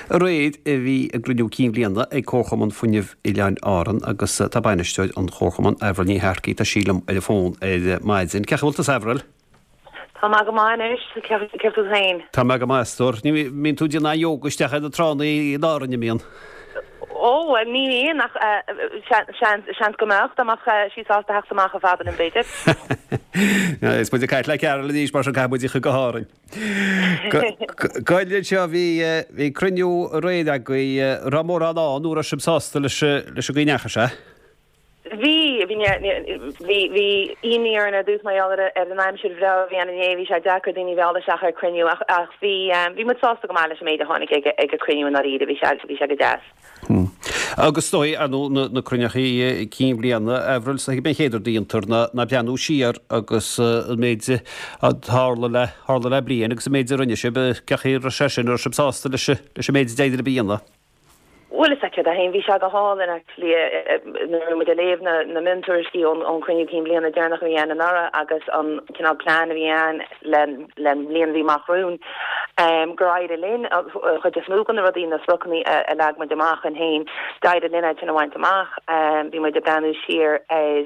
Aréir a bhí a gcruinniú cinn bhliana ag Comharchumann Fuinnimh Oileáin Árann agus tá bainisteoir an Chomharchumainn, Avril Ní Shearcaigh, tá sí liom ar an bhfón ar maidin. Cén chaoi a bhfuil tusa Avril? Tá mé go maith anois, céard fút féin? Tá mé go maith, a stór. Ní mbíonn tú ag déanamh yoga isteach ar na tránna in Árainn, an mbíonn? Ó, bhuel, ní bhíonn ach seans go mbeadh, dá mbeadh sí sásta theacht amach chomh fada linn, b'fhéidir. Is muid ag caint le Carol anois, mar sin caithfidh muid í a chur go hÁrainn. Gabh anseo, bhí cruinniú aréir agaibh, raibh mórán ann nó raibh sibh sásta leis an gcaoi a ndeachaigh sé? Bhí, bhí, bhí, bhí imní orainn ar dtús mar gheall ar ar an aimsir bhreá a bhí ann inné, bhí sé deacair daoine a mhealladh isteach ar cruinniú ach, ach bhí, bhí muid sásta go maith leis an méid a tháinig ag, ag an cruinniú i ndáiríre, bhí sé, bhí sé go deas. Agus is dóigh, ar ndóigh, na, na cruinnithe cinn bhliana, Avril, is dóigh gurb é an chéad rud a dhéantar ná, ná breathnú siar agus an méid a tharla le, tharla le bliain agus an méid a rinne sibh, cén chaoi a raibh sé sin, an raibh sibh sásta leis, leis an méid a d'éirigh libh a dhéanamh? Bhuel is ea céard é féin, bhí sé go hálainn actually nuair a bhí muid ag léamh na na miontuairiscí ón ón chruinniú cinn bhliana deireanach a bhí ann anuraidh agus an cineál plean a bhí ann le len bhliain a bhí amach romhainn gur éirigh linn an chuid is mó de na rudaí na spriocanna a a leag muid amach againn féin d'éirigh linn iad sin a bhaint amach. Bhí muid ag breathnú siar ar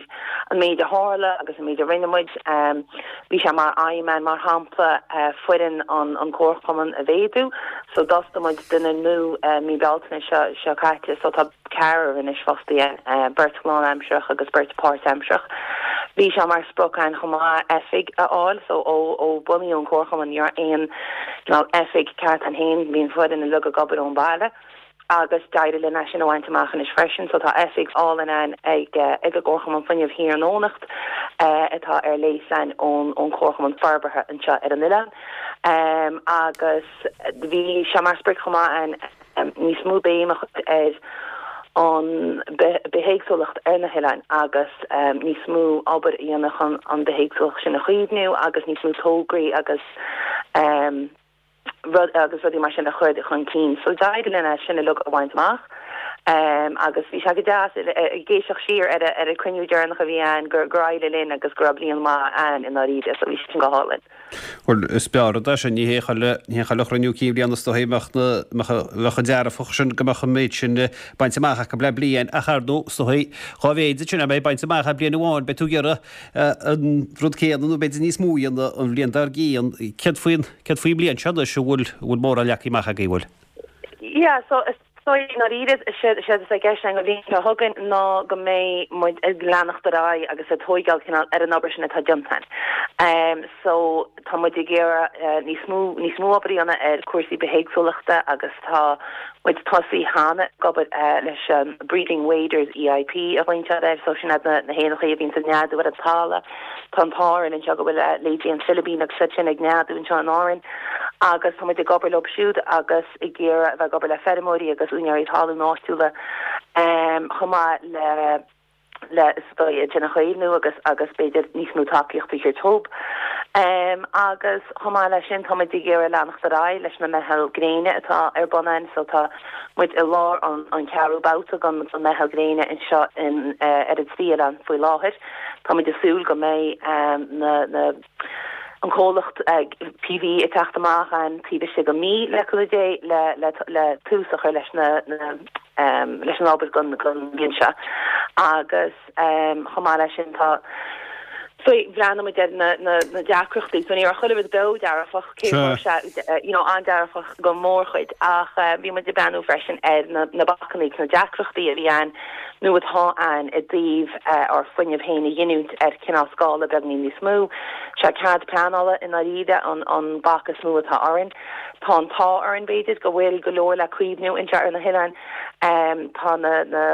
an méid a tharla agus an méid a rinne muid. Bhí sé mar aidhm againn, mar shampla, foireann an Chomharchumainn a mhéadú. So d'fhostaigh muid duine nua mí Bealtaine seo seo caite. So tá ceathrar anois fostaithe againn, beirt lánaimsearach agus beirt páirtaimsearach. Bhí sé mar sprioc againn chomh maith oifig a fháil. So ó ó bunaíodh an Comharchumann ní raibh aon cineál oifig ceart againn féin. Bhí an foireann uilig ag obair ón baile. agus d'éirigh linn é sin a bhaint amach anois freisin. So tá oifig álainn againn ag ag an gComharchumann Fuinnimh thiar in Eoghanacht atá ar léas againn ón ón Chomharchumann Forbartha anseo ar an oileán. Agus bhí sé mar sprioc chomh maith againn níos mó béim a chur ar an bithéagsúlacht ar na hoileáin agus níos mó obair a dhéanamh chun an bithéagsúlacht sin a chaomhnú agus níos mó tograí agus rud agus rudaí mar sin a chur chun cinn. So d'éirigh linn é sin uilig a bhaint amach agus bhí sé go deas ag éisteacht siar ar ar an cruinniú deireanach a bhí ann gur gur éirigh linn agus go raibh bliain mhaith ann i ndáiríre so bhí sé sin go hálainn. Bhuel, is breá rud é sin, ní hé chuile ní hé chuile chruinniú cinn bhliana is dóigh a mbeadh na mbeadh bheadh an dearfach sin go mbeadh an méid sin bainte amach acu le bliain ach ar ndóigh is dóigh dhá mhéid sin a bheith bainte amach le bliain amháin beidh tú ag iarraidh an rud céanna nó b'fhéidir níos mó a dhéanamh an bhliain dár gcionn. Céard faoin, céard faoin mbliain seo anois, an bhfuil, an bhfuil mórán leagtha amach agaibh, an bhfuil? Yeah, so is dóigh i ndáiríre, séard, séard atá i gceist againn an bhliain seo chugainn ná go mbeidh muid ag leanacht ar aghaidh agus ag tóigeáil cineál ar an obair sin atá déanta againn. So tá muid ag iarraidh níos mó, níos mó obair a dhéanamh ar cúrsaí bithéagsúlachta agus tá muid tosaithe cheana ag obair leis an Breeding Waders EIP a ghlaonn siad air, so sin iad na héanachaí a bhíonns ag neadú ar an talamh. Tá an t-ádh orainn anseo go bhfuil leithéidí an Philibín agus iad sin ag neadú anseo in Árainn agus tá muid ag obair leo siúd agus ag iarraidh a bheith ag obair le feirmeoirí agus úinéirí talún áitiúla chomh maith le le is dóigh iad sin a chaomhnú agus agus b'fhéidir níos mó tacaíochta a thabhairt dóibh. Agus chomh maith leis sin tá muid ag iarraidh leanacht ar aghaidh leis na meitheal gréine atá ar bun againn so tá muid i lár an an ceathrú babhta den den meitheal gréine anseo in ar an trí oileán faoi láthair. Tá muid ag súil go mbeidh na na an comhlacht PV ag teacht amach againn taobh istigh de mhí le cúnamh Dé le le le tús a chur leis na na leis an obair don bhliain seo agus chomh maith leis sin tá so bhreathnaigh muid ar na na deacrachtaí so ní raibh chuile rud beo dearfach cé go raibh sé you know an-dearfach go mórchuid ach bhí muid ag breathnú freisin ar na na bacanna agus na deacrachtaí a bhí ann nó atá ann i dtaobh ár fuinneamh féin a ghiniúint ar cineál scála beagnín níos mó. Sé cead pleanála i ndáiríre an an bac is mó atá orainn. Tá an t-ádh orainn, b'fhéidir, go bhfuil go leor le caomhnú anseo ar na hoileáin. Tá na na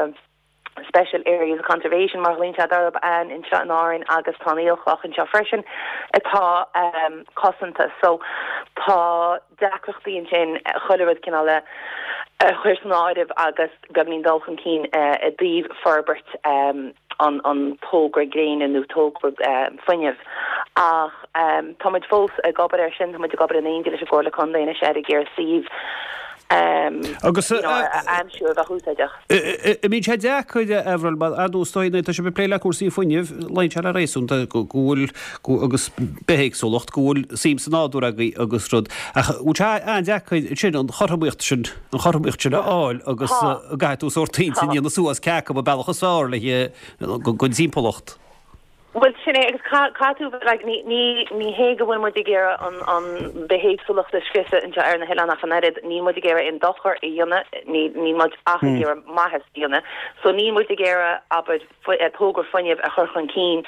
Special Areas of Conservation, mar a ghlaonn siad orthu, ann anseo in Árainn agus tá an aolchloch anseo freisin atá cosanta. So tá deacrachtaí ansin chuile rud cineál a chur san áireamh agus beagnín dul chun cinn i dtaobh forbairt an togra gréine nó togra fuinnimh. Ach tá muid fós ag obair air sin, tá muid ag obair in éindí leis an gComhairle Contae anois ar ag iarraidh suíomh. Agus you know, a aimsiú a bheadh úsáideach. An mbíonn sé deacair, a Avril, mar ar ndóigh is dóigh nuair atá sibh ag plé le cúrsaí fuinnimh, luíonn sé le réasún go bhfuil, agus bithéagsúlacht, go bhfuil suim sa nádúr agaibh agus rud, ach bhfuil sé an-deacair ansin an chothromaíocht sin, an chothromaíocht sin a fháil agus go gcaithfidh tú sórt intinn a dhéanamh suas cé acu an bealach is fearr le don timpeallacht. Bhuel, sin é, agus caithfidh tú, like, ní, ní, ní hé go bhfuil muid ag iarraidh an, an bithéagsúlacht a scriosadh anseo ar na hoileáin ach an oiread, níl muid ag iarraidh aon dochar a dhéanamh, ní, níl muid ach ag iarraidh maitheas a dhéanamh. So níl muid ag iarraidh, abair, togra fuinnimh a chur chun cinn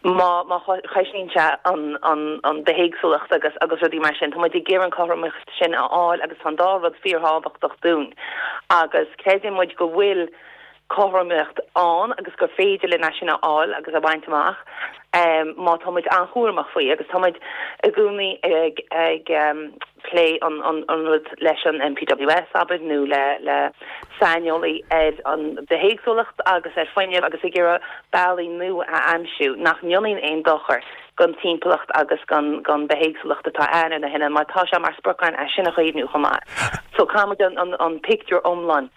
má, má choisníonn sé an, an, an bithéagsúlacht agus, agus rudaí mar sin. Tá muid ag iarraidh an cothromaíocht sin a fháil agus tá an dá rud fíorthábhachtach dúinn agus creideann muid go bhfuil, cothromaíocht ann agus gur féidir linn é sin a fháil agus a bhaint amach má tá muid an-chúramach faoi agus tá muid i gcónaí ag ag plé an an rud leis an NPWS abair nó le le saineolaí ar an bithéagsúlacht agus ar fuinneamh agus ag iarraidh bealaí nua a aimsiú nach ndéanann aon dochar don timpeallacht agus don don bithéagsúlacht atá ann ar na hoileáin mar tá sé mar sprioc againn é sin a chaomhnú chomh maith. So caithfidh muid an an an pictiúr iomlán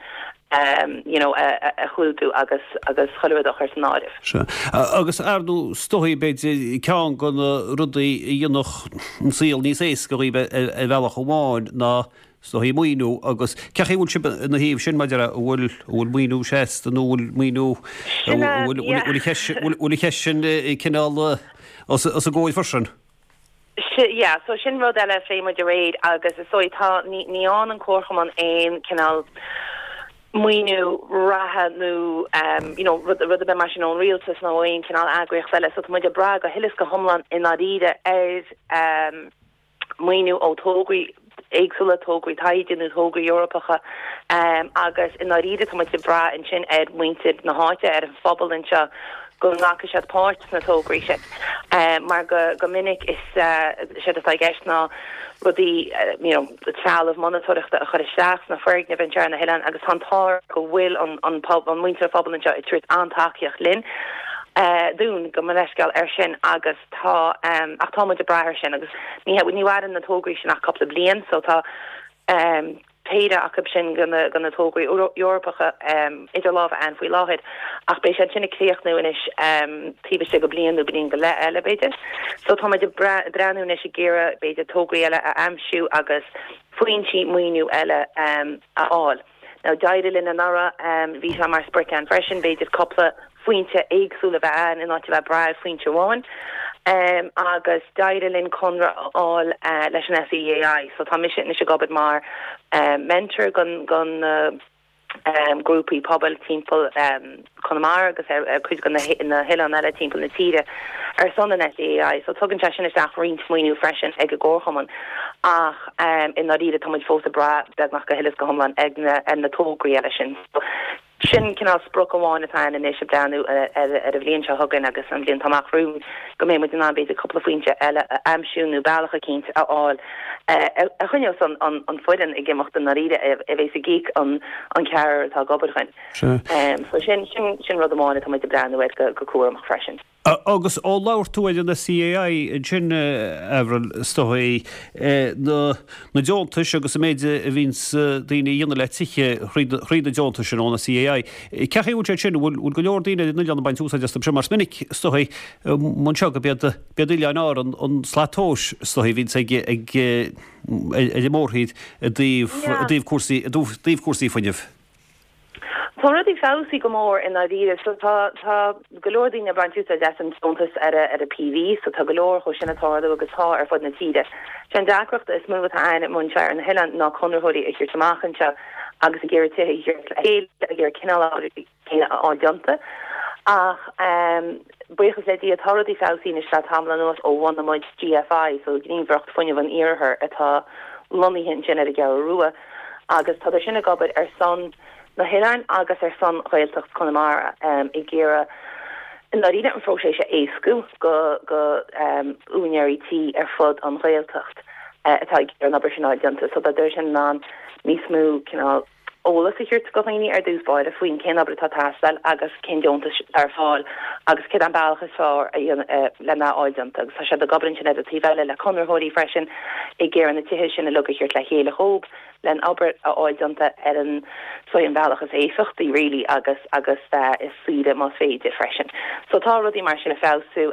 you know, a chlúdú agus agus chuile rud a chur san áireamh. Sea. Agus ar ndóigh, is dóigh, b'fhéidir, ceann de na rudaí a dhéanfadh an saol níos éasca dhaoibh ar bhealach amháin ná, is dóigh, maoiniú agus cén chaoi a bhfuil sibh ina thaobh sin maidir le, an bhfuil, an bhfuil maoiniú seasta nó an bhfuil maoiniú, Sin é, an bhfuil, bhfuil an cheist sin cineál os a gcomhair freisin? Yeah, so sin rud eile a phléigh muid aréir agus is dóigh tá, ní, ní fhaigheann an Comharchumann aon cineál maoiniú reatha nó you know rud, rud ar bith mar sin ón rialtas nó ó aon cineál eagraíocht eile so tá muid ag brath go huile is go hiomlán i ndáiríre ar maoiniú ó tograí éagsúla, tograí taighde nó tograí Eorpacha agus i ndáiríre tá muid ag brath ansin ar mhuintir na háite, ar an phobal anseo go nglacfaidh siad páirt sna tograí sin mar go go minic is séard atá i gceist ná rudaí you know trealamh monatóireachta a chur isteach sna foirgnimh anseo ar na hoileáin agus tá an t-ádh go bhfuil an an an muintir an phobal anseo ag tabhairt an-tacaíocht linn dúinn gabh mo leithscéal ar sin agus Tá, ach tá muid ag brath air sin agus ní ní mhaireann na tograí sin ach cúpla bliain so tá péire acu sin de na de na tograí Eorpacha idir lámha a'ainn faoi láthair ach beidh siad sin ag críochnú anois taobh istigh de bliain nó bliain go leith eile b'fhéidir. So tá muid ag breathnú anois ag iarraidh b'fhéidir tograí eile a aimsiú agus foinsí maoiniú eile a fháil. Now d'éirigh linn anuraidh, bhí sé mar sprioc a'ainn freisin, b'fhéidir cúpla foinse éagsúil a bheith a'ainn in áit a bheith ag brath ar foinse amháin. Agus d'éirigh linn conradh a fháil leis an SEAI. So tá mise anois ag obair mar mentor don don na grúpaí pobail timpeall Conamara agus ar cuid de na hoileáin eile timpeall na tíre ar son an SEAI. So tugann sé sin isteach roinnt maoiniú freisin ag an gComharchumann ach i ndáiríre tá muid fós ag brath beagnach go huile is go hiomlán ag na ar na tograí eile sin. So sin cineál sprioc amháin atá ann anois ag breathnú ar ar an bhliain seo chugainn agus an bhliain atá amach romhainn go mbeidh muid in ann b'fhéidir cúpla foinse eile a aimsiú nó bealach eicínt a fháil a choinneos an an foireann ag imeacht i ndáiríre a bheas ag íoc an an ceathrar atá ag obair dhuinn. So sin, sin, sin rud amháin atá muid ag breathnú air go, go cúramach freisin. Agus ó labhair tú ar an SEAI ansin, Avril, is dóigh, na, na deontais agus an méid a bhíonns daoine a dhéanamh le tithe thríd, thríd na deontais sin ón SEAI. Cén chaoi a bhfuil sé sin? An bhfuil, bhfuil go leor daoine ar an oileán ag baint úsáid astu sin? Mar is minic, is dóigh, anseo go b'iad, b'iad Oileáin Árann an slat tomhais, is dóigh, a bhíonns ag, ag, ar an mórthír i dtaobh, i dtaobh cúrsaí, i dtaobh cúrsaí fuinnimh. Tá rudaí feabhsaithe go mór i ndáiríre. So tá tá go leor daoine ag baint úsáid as an deontas ar a ar a PV, so tá go leor dhó sin ag tarlú agus tá ar fud na tíre. Sé an deacracht is mó atá ann anseo ar na hoileáin ná conraitheoirí a thabhairt amach anseo agus ag iarraidh tithe a thabhairt le chéile, ag iarraidh cineál obair céanna a fháil déanta. Ach buíochas le Dia tá rudaí feabhsaithe anois le tamall anuas ó bhunaigh muid GFI, so Gníomhaireacht Fuinnimh an Iarthair atá lonnaithe ansin ar an gCeathrú Rua. agus tá sin ag obair ar son na hoileáin agus ar son Ghaeltacht Chonamara ag iarraidh i ndáiríre an phróiseas a éascú go go úinéirí tí ar fud an Ghaeltacht atá ag iarraidh an obair sin a fháil déanta so tá sin in ann níos mó cineál eolas a thabhairt go dhaoine ar dtús báire faoin cén obair atá ag teastáil agus cén deontais atá ar fáil agus céard an bealach is fearr lena fháil déanta agus tá siad ag obair ansin ar an taobh eile le conraitheoirí freisin ag iarraidh na tithe sin uilig a thabhairt le chéile dhóibh. len obair a fháil déanta ar an so an bhealach is éifeachtaí really agus agus is saoire más féidir freisin. So tá rudaí mar sin ag feabhsú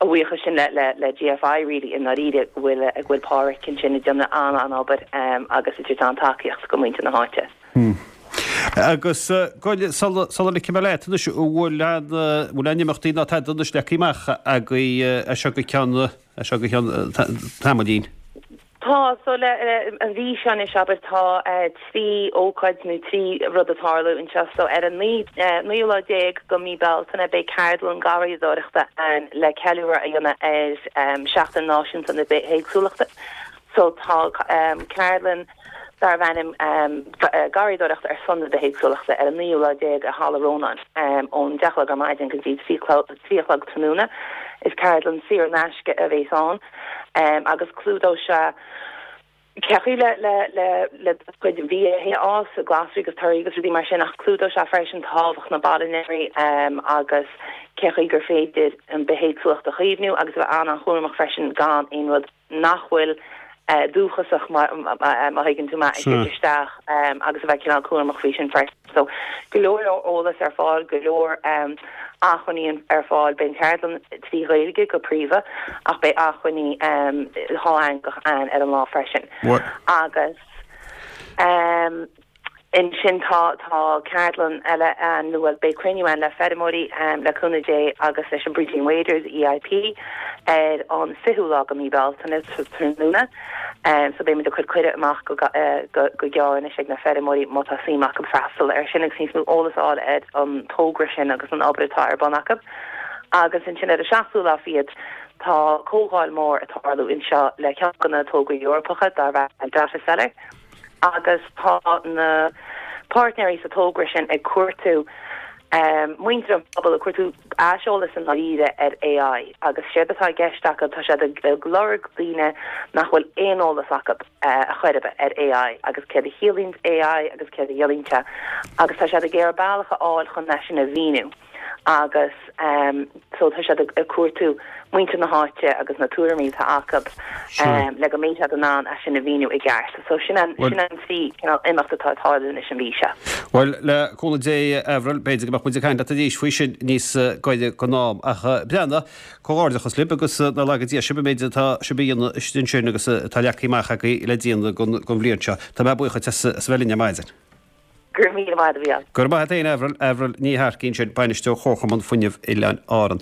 a bhuíochas sin le le le GFI really i ndáiríre go bhfuil go bhfuil Páraic ansin ag déanamh an-an-obair agus ag tabhairt an-tacaíocht go muintir na háite. Agus gabh sula sula ligfidh mé leat anois an bhfuil aon bhfuil aon imeachtaí ná tada anois leagtha amach agaibh as seo go ceann as seo go ceann tamaillín? Tá, so le an mhí seo anois abair tá 3 ócáid nó 3 rud ag tarlú anseo. So ar an naoú lá déag go mí Bealtaine beidh ceardlann garraíodóireachta ann le ceiliúradh a dhéanamh ar Seachtain Náisiúnta na Bithéagsúlachta. So tá ceardlann darbh ainm Garraíodóireacht ar son na Bithéagsúlachta ar an naoú lá déag i Halla Rónáin ón deich a chlog ar maidin go dtí 3 a chlog tráthnóna. Is ceardlann saor in aisce a bhéas ann agus clúdóidh sé cé chaoi le le le le do chuid bia a fhás, glasraí agus torthaí agus rudaí mar sin ach clúdóidh sé freisin tábhacht na bpailneoirí agus cé chaoi gur féidir an bithéagsúlacht a chaomhnú agus a bheith an-an-chúramach freisin gan aon rud nach bhfuil dúchasach, má thuigeann tú mé, a thabhairt isteach agus a bheith cineál cúramach faoi sin freisin. So, go leor leor eolas ar fáil, go leor acmhainní ar fáil. Beidh an cheardlann trí Ghaeilge go príomha ach beidh acmhainní dhátheangach ann ar an lá freisin. Agus. Ansin tá tá ceardlann eile ann, nó bhuel beidh cruinniú ann le feirmeoirí le cúnamh Dé agus leis an Bridgeen Waders, EIP, ar an 20ú lá go mí Bealtaine tráthnóna. So beidh muid ag cur cuireadh amach go go go gearr anois ag na feirmeoirí má tá suim acu freastal ar sin agus níos mó eolas a fháil ar an togra sin agus an obair atá ar bun acu. Agus ansin ar an seachtú lá fichead tá comhdháil mór ag tarlú anseo le ceann de na tograí Eorpacha darb ainm Data Cellar. agus tá na páirtnéirí sa togra sin ag cuartú muintir an phobail, ag cuartú aiseolas i ndáiríre ar AI agus séard atá i gceist acu, tá siad ag lorg daoine nach bhfuil aon eolas acu a chor ar bith ar AI agus céard a chiallaíonn AI agus céard a dhéanann sé agus tá siad ag iarraidh bealach a fháil chun é sin a mhíniú. agus so tá siad ag cuartú muintir na háite agus na tuairimí atá acu le go mbeidh siad in ann é sin a mhíniú i gceart. So sin an sin an trí cineál imeacht atá ag tarlú anois an mhí seo. Bhuel, le cúnamh Dé, Avril, b'fhéidir go mbeadh muid ag caint leat arís faoi sin níos gaire don am. Ach breathnaigh, comhghairdeachas libh agus nár laga Dia sibh an méid atá sibh a dhéanamh istigh ansin agus atá leagtha amach agaibh le déanamh don bhliain seo. Tá mé buíoch duit as a bheith linn ar maidin. Go raibh míle maith agat, a Mhícheáil. Go raibh maith agat féin, Avril. Avril Ní Shearcaigh ansin, Bainisteoir Chomharchumann Fuinnimh Oileáin Árann.